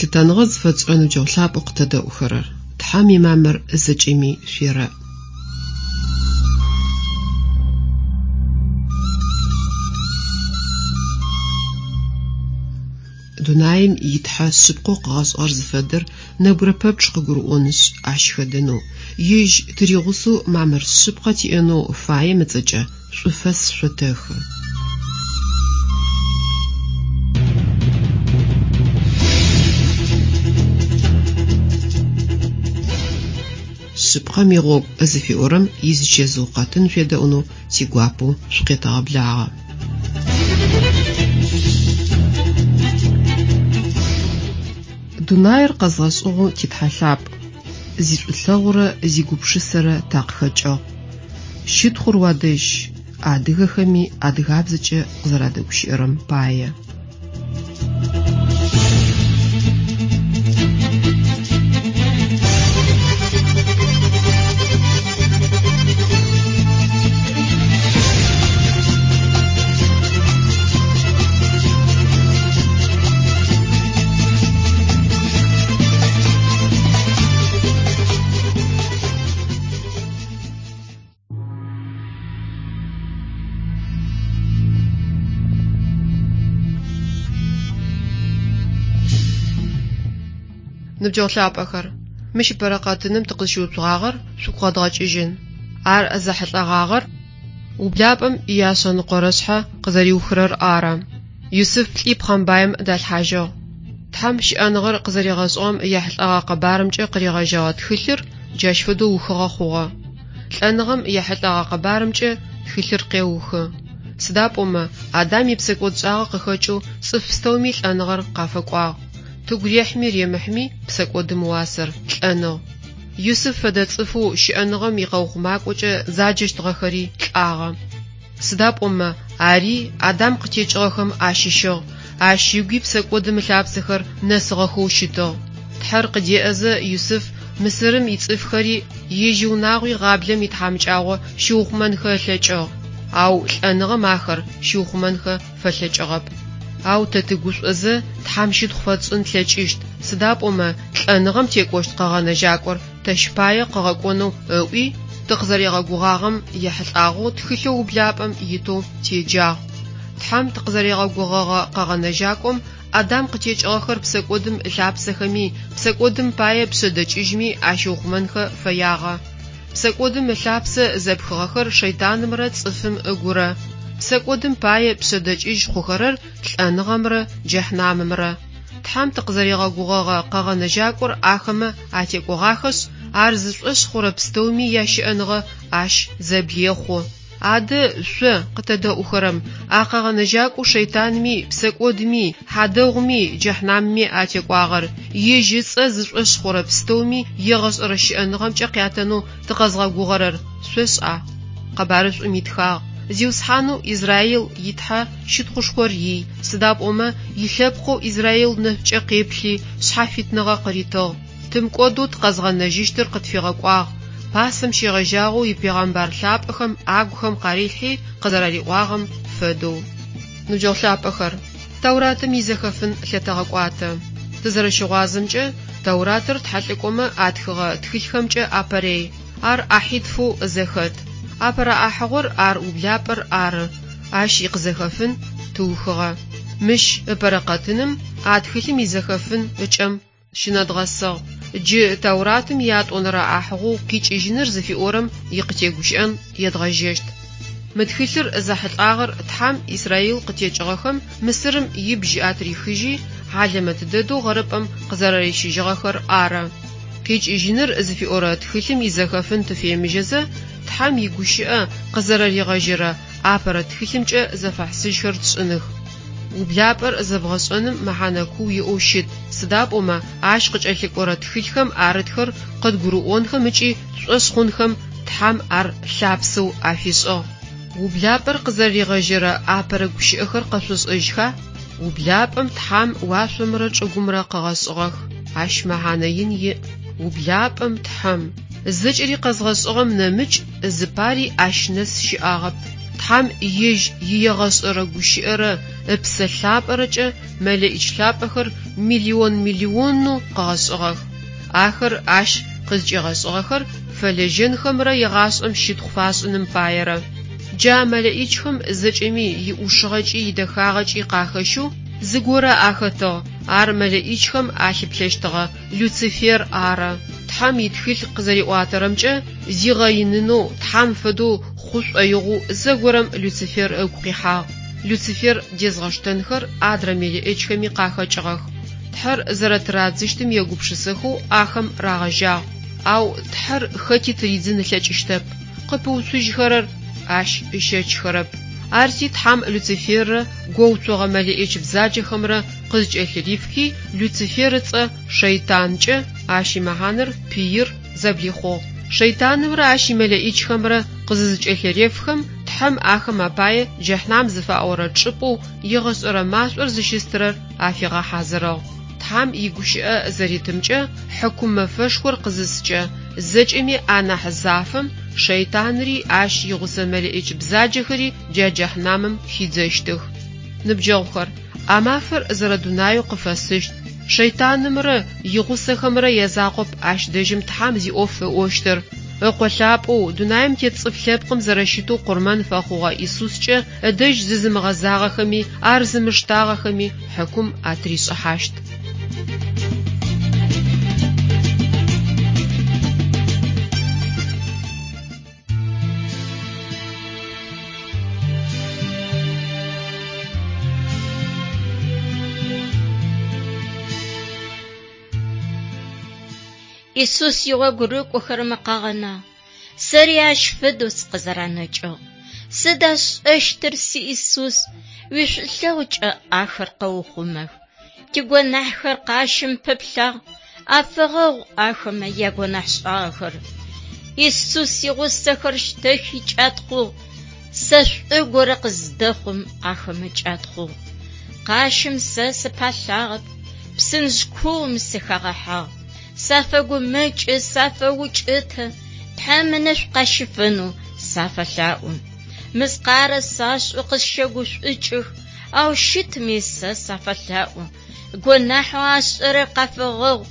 Лъытэныгъэ зыфэтшӏырэ ныбджэгъу лъапӏэу къытэдэӏухэрэр! Тхьэм имамыр зэкӏэми шъуерэӏ. Дунаим и Тхьэ шъыпкъэу къыгъэшӏыгъэр зыфэдэр нэбгырэ пэпчъ къыгурыӏонышъ, ащ хэдэнэу, Ежь тыригъусэу мамыр шъыпкъэ тиӏэнэу фаем ыцӏэкӏэ шӏуфэс шъотэхы. Шъыпкъэм игъогу зыфиӏорэм изичэзыу къэтын шъуедэӏунэу тигуапэу шъукъетэгъэблагъэ. Дунаир къэзгъэшӏыгъэу ти Тхьэ лъапӏ, зишӏулъэгъурэ зигупшысэрэ такъыхэкӏыгъ. Щытхъур уадэжь, адыгэхэми адыгабзэкӏэ къызэрадэгущыӏэрэм пае. Ныбджэгъу лъапӏэхэр, мыщ ыпэрэ къэтыным тыкъызщыуцугъагъэр шъугу къэдгъэкӏыжьын. Ар зэхьылӏэгъагъэр ублапӏэм ияшъэныкъорэ шъхьэ къызэриухырэр ары. Юсыф лӏи пхъэмбаим далъхьажьыгъ. Тхьэм щыӏэныгъэр къызэригъэшӏыгъэм ехьылӏэгъэ къэбарымкӏэ къыригъэжьэгъэ тхылъыр джащ фэдэу ухыгъэ хъугъэ. Лӏэныгъэм ехьылӏэгъэ къэбарымкӏэ тхылъыр къеухы. Сыда пӏомэ, Адам ипсэкӏодшӏагъэ къыхэкӏэу цӏыф пстэуми лӏэныгъэр къафэкӏуагъ. Тыгу рехьми ремыхьми псэкӏодым ыуасэр, лӏэныгъ. Юсыф фэдэ цӏыфэу щыӏэныгъэм икъэухъумакӏокӏэ заджэщтыгъэхэри лӏагъэ. Сыда пӏомэ, ари Адам къытекӏыгъэхэм ащыщыгъ, ащ ыгуи псэкӏодым ылъапсэхэр нэсыгъэхэу щытыгъ. Тхьэр къыдеӏэзэ, Юсыф Мысырым ицӏыфхэри ежь иунагъуи гъаблэм итхьамыкӏагъо щиухъумэнхэ ылъэкӏыгъ, ау лӏэныгъэм ахэр щиухъумэнхэ фэлъэкӏыгъэп. Ау тэ тыгушӏозэ Тхьэм щытхъу фэтшӏын тлъэкӏыщт, сыда пӏомэ лӏэныгъэм текӏощт Къэгъэнэжьакӏор тэщ пае къыгъэкӏонэу ыӏуи, тыкъызэригъэгугъагъэм ехьылӏагъэу тхылъэу ублапӏэм итэу теджагъ. Тхьэм тыкъызэригъэгугъэгъэ Къэгъэнэжьакӏом Адам къытекӏыгъэхэр псэкӏодым ылъапсэхэми, псэкӏодым пае пшъэдэкӏыжьми ащиухъумэнхэ фэягъэ. Псэкӏодым ылъапсэ зэпхыгъэхэр шэйтанымрэ цӏыфым ыгурэ. Псэкӏодым пае пшъэдэкӏыжь хъухэрэр лӏэныгъэмрэ джэхьнамымрэ. Тхьэм тыкъызэригъэгугъэгъэ Къэгъэнэжьакӏор ахэмэ атекӏогъахэшъ, ар зышӏошъ хъурэ пстэуми ящыӏэныгъэ ащ зэблехъу. Адэ, шъо, къытэдэӏухэрэм, а Къэгъэнэжьакӏоу шэйтанми, псэкӏодми, хьадэгъуми, джэхьнамми атекӏуагъэр, ежь ыцӏэ зышӏошъ хъурэ пстэуми егъэшӏэрэ щыӏэныгъэмкӏэ къятэнэу тыкъэзгъэгугъэрэр шъошӏа? Къэбарышӏум итхагъ, Зиусхьанэу Израил и Тхьэ щытхъушхор ий, сыда пӏомэ илъэпкъэу Израил нэшӏукӏэ къеплъи, шъхьафитныгъэ къыритыгъ. Тымыкӏодэу тыкъэзгъэнэжьыщтыр къытфигъэкӏуагъ, пасэм щегъэжьагъэу ипегъэмбар лъапӏэхэм агухэм къарилъхьи къызэрариӏуагъэм фэдэу. Ныбджэгъу лъапӏэхэр, Тауратым изэхэфын лъэтэгъэкӏуатэ. Тызэрэщыгъуазэмкӏэ, Тауратыр тхьэлӏыкӏомэ атхыгъэ тхылъхэмкӏэ апэрей. Ар ӏахьитфэу зэхэт. Апэрэ ӏахьыгъор ар ублапӏэр ары, ащ икъызэхэфын тыухыгъэ. Мыщ ыпэрэ къэтыным а тхылъым изэхэфын ыкӏэм щынэдгъэсыгъ. Джы Тауратым иятӏонэрэ ӏахьыгъоу Къикӏыжьыныр зыфиӏорэм икъытегущыӏэн едгъэжьэщт. Мы тхылъыр зэхьылӏагъэр Тхьэм Исраил къытекӏыгъэхэм Мысырым ибжь атырихыжьи, хьалэмэт дэдэу гъэрыпӏэм къызэрэрищыжьыгъэхэр ары. Къикӏыжьыныр зыфиӏорэ тхылъым изэхэфын тыфемыжьэзэ, Тхьэм игущыӏэ къызэрэригъэжьэрэ апэрэ тхылъымкӏэ зэфэхьысыжьхэр тшӏыных. Ублапӏэр зэбгъэшӏэным мэхьанэ куу иӏэу щыт, сыда пӏомэ ащ къыкӏэлъыкӏорэ тхылъхэм арытхэр къыдгурыӏонхэм ыкӏи тшӏошъ хъунхэм Тхьэм ар лъапсэу афишӏыгъ. Ублапӏэр къызэрэригъэжьэрэ апэрэ гущыӏэхэр къэшъошӏэжьха? Ублапӏэм Тхьэм уашъомрэ чӏыгумрэ къыгъэшӏыгъэх. Ащ мэхьанэ ин иӏ. Ублапӏэм Тхьэм. Зэкӏэри къэзгъэшӏыгъэм нэмыкӏ зыпари ащ нэс щыӏагъэп. Тхьэм ежь иегъэшӏэрэ Гущыӏэрэ Ыпсэ Лъапӏэрэкӏэ мэлэӏич лъапӏэхэр миллион-миллионэу къыгъэшӏыгъэх. Ахэр ащ къызкӏигъэшӏыгъэхэр фэлэжьэнхэмрэ егъашӏэм щытхъу фашӏыным паерэ. Джа мэлэӏичхэм зэкӏэми иӏушыгъэкӏи идэхагъэкӏи къахэщэу зыгорэ ахэтыгъ, ар мэлэӏичхэм алъыплъэщтыгъэ Люцифер ары. Тхьэм итхылъ къызэриӏуатэрэмкӏэ, зигъэинынэу, Тхьэм фэдэу хъу шӏоигъоу зэгорэм Люцифер ыгу къихьагъ. Люцифер дезгъэштэнхэр адрэ мелыӏычхэми къахэкӏыгъэх. Тхьэр зэрэтырадзыщтым егупшысэхэу ахэм рагъэжьагъ. Ау Тхьэр хэти тыридзын ылъэкӏыщтэп, къыпэуцужьхэрэр ащ ыщэчхэрэп. Арти Тхьэм Люциферрэ гоуцогъэ мэлэӏич бзаджэхэмрэ къызкӏэлъырифхи, Люцифер ыцӏэ Шэйтанкӏэ, ащ имэхьанэр пыир, зэблихъугъ. Шэйтанымрэ ащ имэлэӏичхэмрэ къызызыкӏэлъырефхэм, Тхьэм ахэм апае джэхьнам зыфаӏорэ чӏыпӏэу егъэшӏэрэ машӏор зыщыстырэр афигъэхьазырыгъ. Тхьэм игущыӏэ зэритымкӏэ, хьыкум мэфэшхор къызыскӏэ, зэкӏэми анахь зафэм шэйтанри ащ игъусэ мэлэӏич бзаджэхэри джа джэхьнамым хидзэщтых. Ныбджэгъухэр, а мафэр зэрэдунаеу къыфэсыщт. Шэйтанымрэ игъусэхэмрэ язакъоп ащ дэжьым Тхьэм зиӏоф ыӏощтыр. Ыкъо лъапӏэу, дунаим тет цӏыф лъэпкъым зэрэщытэу къурмэн фэхъугъэ Исускӏэ ыдэжь зызымыгъэзагъэхэми ар зымыштагъэхэми хьыкум атришӏыхьащт. Исус игъогу рыкӏохэрэмэ къагъэнагъ. Сэри ащ фэдэу сыкъызэранэкӏыгъ. Сыда сшӏэщтыр, си Исус, уишӏулъэгъукӏэ ахэр къэухъумэх. Тигонахьхэр къащым пыплъагъ, афэгъэгъу ахэмэ ягонахьшӏагъэхэр. Исус игъусэхэр щтэхи кӏатхъугъ, сэ шӏу горэ къыздэхъум ахэмэ кӏатхъугъ. Къащым сэ сыпалъагъэп, псынжъ куум сыхагъэхьагъ. Сафэгумэкӏы, сафэукӏытэ, Тхьэм ынэшӏу къащыфэнэу сафэлъаӏо. Мыскъарэ сашӏэу къысщэгушӏукӏых, ау щытми сэ сафэлъаӏо. Гонахьэу ашӏэрэр къафэгъэгъу,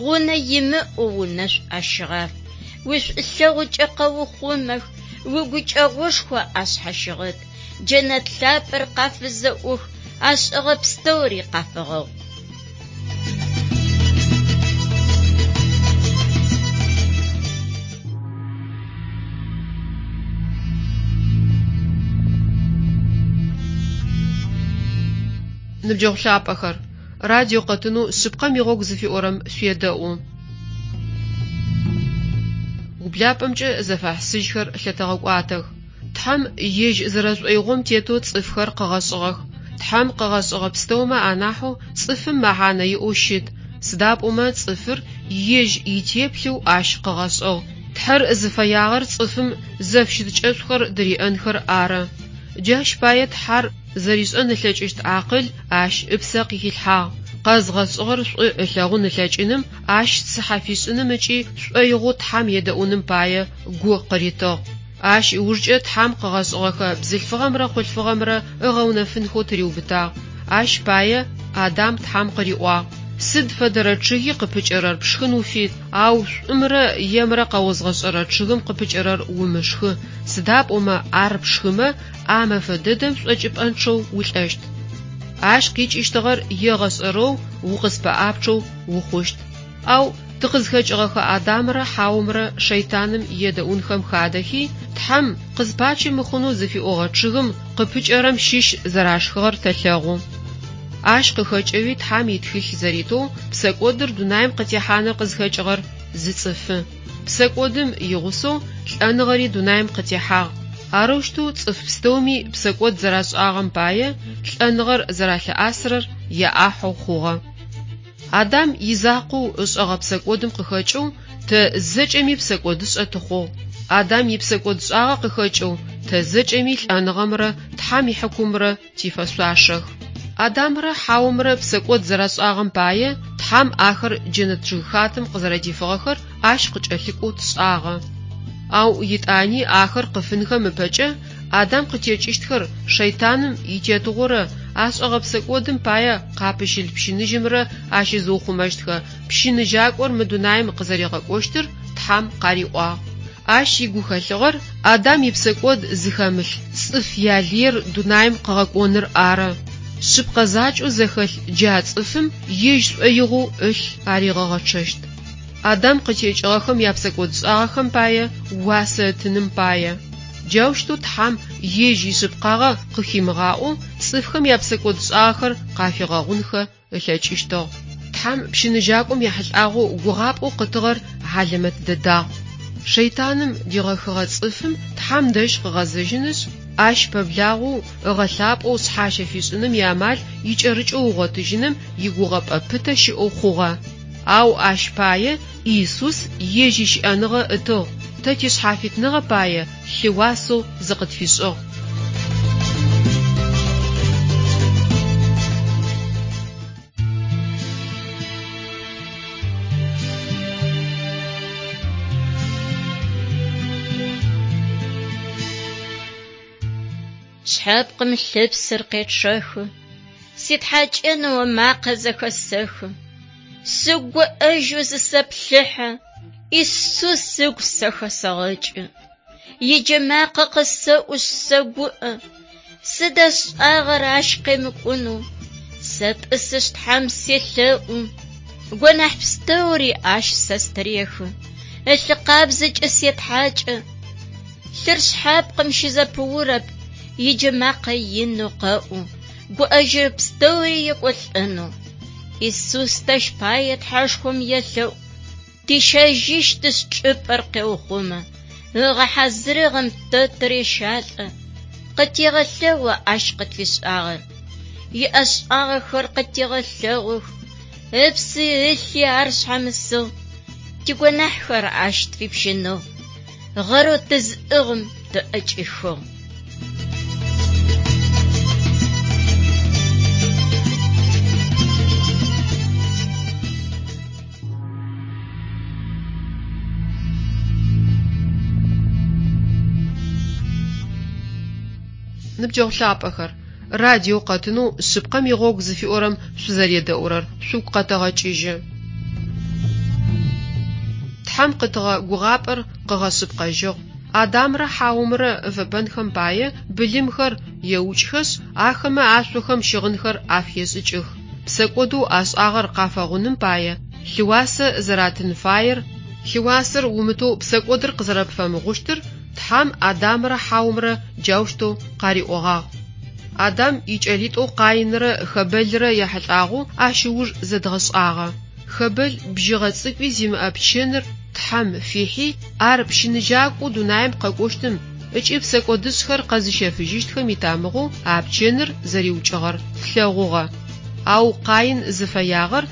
гъунэ имыӏэу унэшӏу ащыгъаф. Уишӏулъэгъукӏэ къэухъумэх, уигукӏэгъушхо ашъхьащыгъэт. Джэнэт лъапӏэр къафызэӏух, ашӏэгъэ пстэури къафэгъэгъу. Ныбджэгъу лъапӏэхэр, радио къэтынэу Шъыпкъэм игъогу зыфиӏорэм шъуедэӏу. Ублапӏэмкӏэ зэфэхьысыжьхэр лъэтэгъэкӏуатэх. Тхьэм ежь зэрэшӏоигъом тетэу цӏыфхэр къыгъэшӏыгъэх. Тхьэм къыгъэшӏыгъэ пстэумэ анахьэу цӏыфым мэхьанэ иӏэу щыт, сыда пӏомэ цӏыфыр ежь итеплъэу ащ къыгъэшӏыгъ. Тхьэр зыфэягъэр цӏыфым зэфыщытыкӏэшӏухэр дыриӏэнхэр ары. Джащ пае Тхьэр зэришӏэн ылъэкӏыщт акъыл ащ ыпсэ къыхилъхьагъ. Къэзгъэшӏыгъэр шӏу ылъэгъун ылъэкӏыным, ащ цыхьэ фишӏыным ыкӏи шӏоигъоу Тхьэм едэӏуным пае гу къыритыгъ. Ащ ыужкӏэ Тхьэм къыгъэшӏыгъэхэ бзылъфыгъэмрэ хъулъфыгъэмрэ ыгъэунэфынхэу тыриубытагъ. Ащ пае Адам Тхьэм къыриӏуагъ, Сыд фэдэрэ чъыги къыпыкӏэрэр пшхын уфит, ау шӏумрэ емрэ къэозгъэшӏэрэ чъыгым къыпыкӏэрэр умышхы, сыда пӏомэ ар пшхымэ, а мэфэ дэдэм шӏокӏыпӏэнчъэу улӏэщт. Ащ къикӏыщтыгъэр егъэшӏэрэу укъыспэӏапчъэу ухъущт. Ау тыкъызхэкӏыгъэхэ Адамрэ Хьаомрэ шэйтаным едэӏунхэм хадэхи, Тхьэм къызпачи мыхъунэу зыфиӏогъэ чъыгым къыпыкӏэрэм щыщ зэрашхыгъэр тэлъэгъу. Ащ къыхэкӏэуи Тхьэм итхылъ зэритэу псэкӏодыр дунаим къытехьаныр къызхэкӏыгъэр зы цӏыфы. Псэкӏодым игъусэу лӏэныгъэри дунаим къытехьагъ. Арэущтэу цӏыф пстэуми псэкӏод зэрашӏагъэм пае лӏэныгъэр зэралъыӏасырэр яӏахьэу хъугъэ. Адам изакъоу ышӏэгъэ псэкӏодым къыхэкӏэу тэ зэкӏэми псэкӏодышӏэ тыхъугъ. Адам ипсэкӏодшӏагъэ къыхэкӏэу тэ зэкӏэми лӏэныгъэмрэ Тхьэм ихьыкумрэ тифэшъуашэх. Адамрэ Хьаомрэ псэкӏод зэрашӏагъэм пае Тхьэм ахэр джэнэт чъыгхатэм къызэрэдифыгъэхэр ащ къыкӏэлъыкӏоу тшӏагъэ. Ау етӏани ахэр къыфынхэм ыпэкӏэ Адам къытекӏыщтхэр шэйтаным итетыгъорэ ашӏэгъэ псэкӏодым пае къапыщылъ пщыныжьымрэ ащызыухъумэщтхэ пщыныжьакӏор мы дунаим къызэригъэкӏощтыр Тхьэм къариӏуагъ. Ащ игухэлъыгъэр Адам ипсэкӏод зыхэмылъ цӏыф ялыер дунаим къыгъэкӏоныр ары. Шъыпкъэ закӏэу зэхэлъ джа цӏыфым ежь шӏоигъоу ылъ аригъэгъэчъэщт. Адам къытекӏыгъэхэм япсэкӏодшӏагъэхэм пае уасэ ытыным пае. Джаущтэу Тхьэм ежь ишъыпкъагъэ къыхимыгъаӏоу цӏыфхэм япсэкӏодшӏагъэхэр къафигъэгъунхэ ылъэкӏыщтыгъ. Тхьэм пщыныжьакӏом ехьылӏагъэу гугъапӏэу къытыгъэр хьалэмэт дэдагъ. Шэйтаным дигъэхыгъэ цӏыфым Тхьэм дэжь къыгъэзэжьынышъ, ащ пэблагъэу, ыгъэлъапӏэу шъхьащэ фишӏыным иамал икӏэрыкӏэу ыгъотыжьыным игугъэпӏэ пытэ щыӏэу хъугъэ. Ау ащ пае Иисус ежь ищыӏэныгъэ ытыгъ, тэ тишъхьафитныгъэ пае лъыуасэу зыкъытфишӏыгъ. Шъхьэпкъым лъыпсыр къечъэхы, ситхьакӏынэу ымакъэ зэхэсэхы. Сыгуӏэжьэу зысэплъыхьэ, Исус ыгу сэ хэсэгъэкӏы. Иджэмакъэ къысэӏушъ сэгуӏэ, сыда сшӏагъэр ащ къемыкӏунэу? Сэтӏысышъ Тхьэм селъэӏу, гонахь пстэури ащ сэ стырехы, ылъы къабзэкӏэ сетхьакӏы. Лъыр шъхьапкъым щызэпыурэп, иджэмакъэ инэу къэӏу, гуӏэжьырэ пстэури екӏолӏэнэу. Исус тэщ пае Тхьэшхом елъэӏу, тищэжьыщтышъ чӏыпӏэр къеухъумэ, ыгъэхьазырыгъэм тэ тырещалӏэ, къытегъэлъэгъу ащ къытфишӏагъэр. Иӏэшӏагъэхэр къытегъэлъэгъух, ыпси ылъи ар шъхьамысыгъ, тигонахьхэр ащ тфипщыныгъ, гъэрэу тызыӏыгъым тыӏэкӏихыгъ. Ныбджэгъу лъапӏэхэр, радио къэтынэу Шъыпкъэм игъогу зыфиӏорэм шъузэредэӏурэр шъугу къэтэгъэкӏыжьы. Тхьэм къытыгъэ гугъапӏэр къыгъэшъыпкъэжьыгъ. Адамрэ Хьаомрэ ыфэпэнхэм пае былымхэр еукӏхэшъ, ахэмэ ашъохэм щыгъынхэр афешӏыкӏых. Псэкӏодэу ашӏагъэр къафэгъуным пае лъыуасэ зэратын фаер, лъыуасэр умытэу псэкӏодыр къызэрэпфэмыгъущтыр Тхьэм Адамрэ Хьаомрэ джаущтэу къариӏогъагъ. Адам икӏэлитӏоу Къаинрэ Хэбэлрэ яхьылӏагъэу ащ ыуж зэдгъэшӏагъэ. Хэбэл бжьыгъэ цӏыкӏуи зимыӏэ пчэныр Тхьэм фихьи, ар пщыныжьакӏоу дунаим къэкӏощтым ыкӏи псэкӏодышӏхэр къэзыщэфыжьыщтхэм итамыгъэу а пчэныр зэриукӏыгъэр тлъэгъугъэ. Ау Къаин зыфэягъэр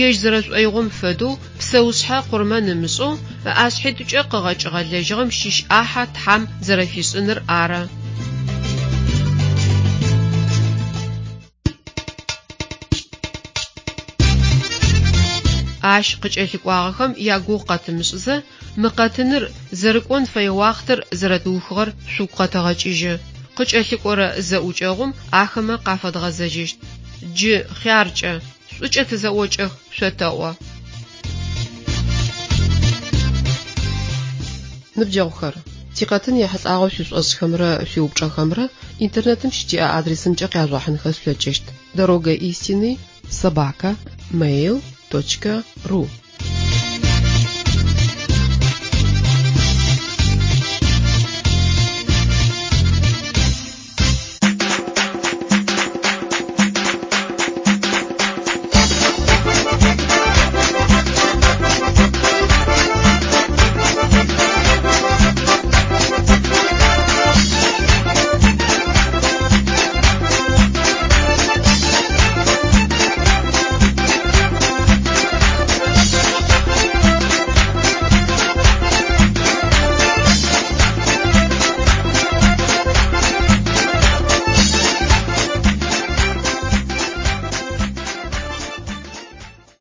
ежь зэрэшӏоигъом фэдэу псэушъхьэ къурмэн ымышӏэу, ыӏашъхьитӏукӏэ къыгъэкӏыгъэ лэжьыгъэм щыщ ӏахьэ Тхьэм зэрэфишӏыныр ары. Ащ къыкӏэлъыкӏуагъэхэм ягугъу къэтымышӏызэ, мы къэтыныр зэрыкӏон фэе уахътэр зэрэтыухыгъэр шъугу къэтэгъэкӏыжьы. Къыкӏэлъыкӏорэ зэӏукӏэгъум ахэмэ къафэдгъэзэжьыщт. Джы хъяркӏэ, шӏукӏэ тызэӏокӏэх шъотэӏо. Ныбджэгъухэр, тикъэтын ехьылӏагъэу шъуишӏошӏхэмрэ шъуиупчӏэхэмрэ интернетым щытиӏэ адресымкӏэ къяжъугъэхьынхэ шъулъэкӏыщт: Дорога истины собака mail.ru.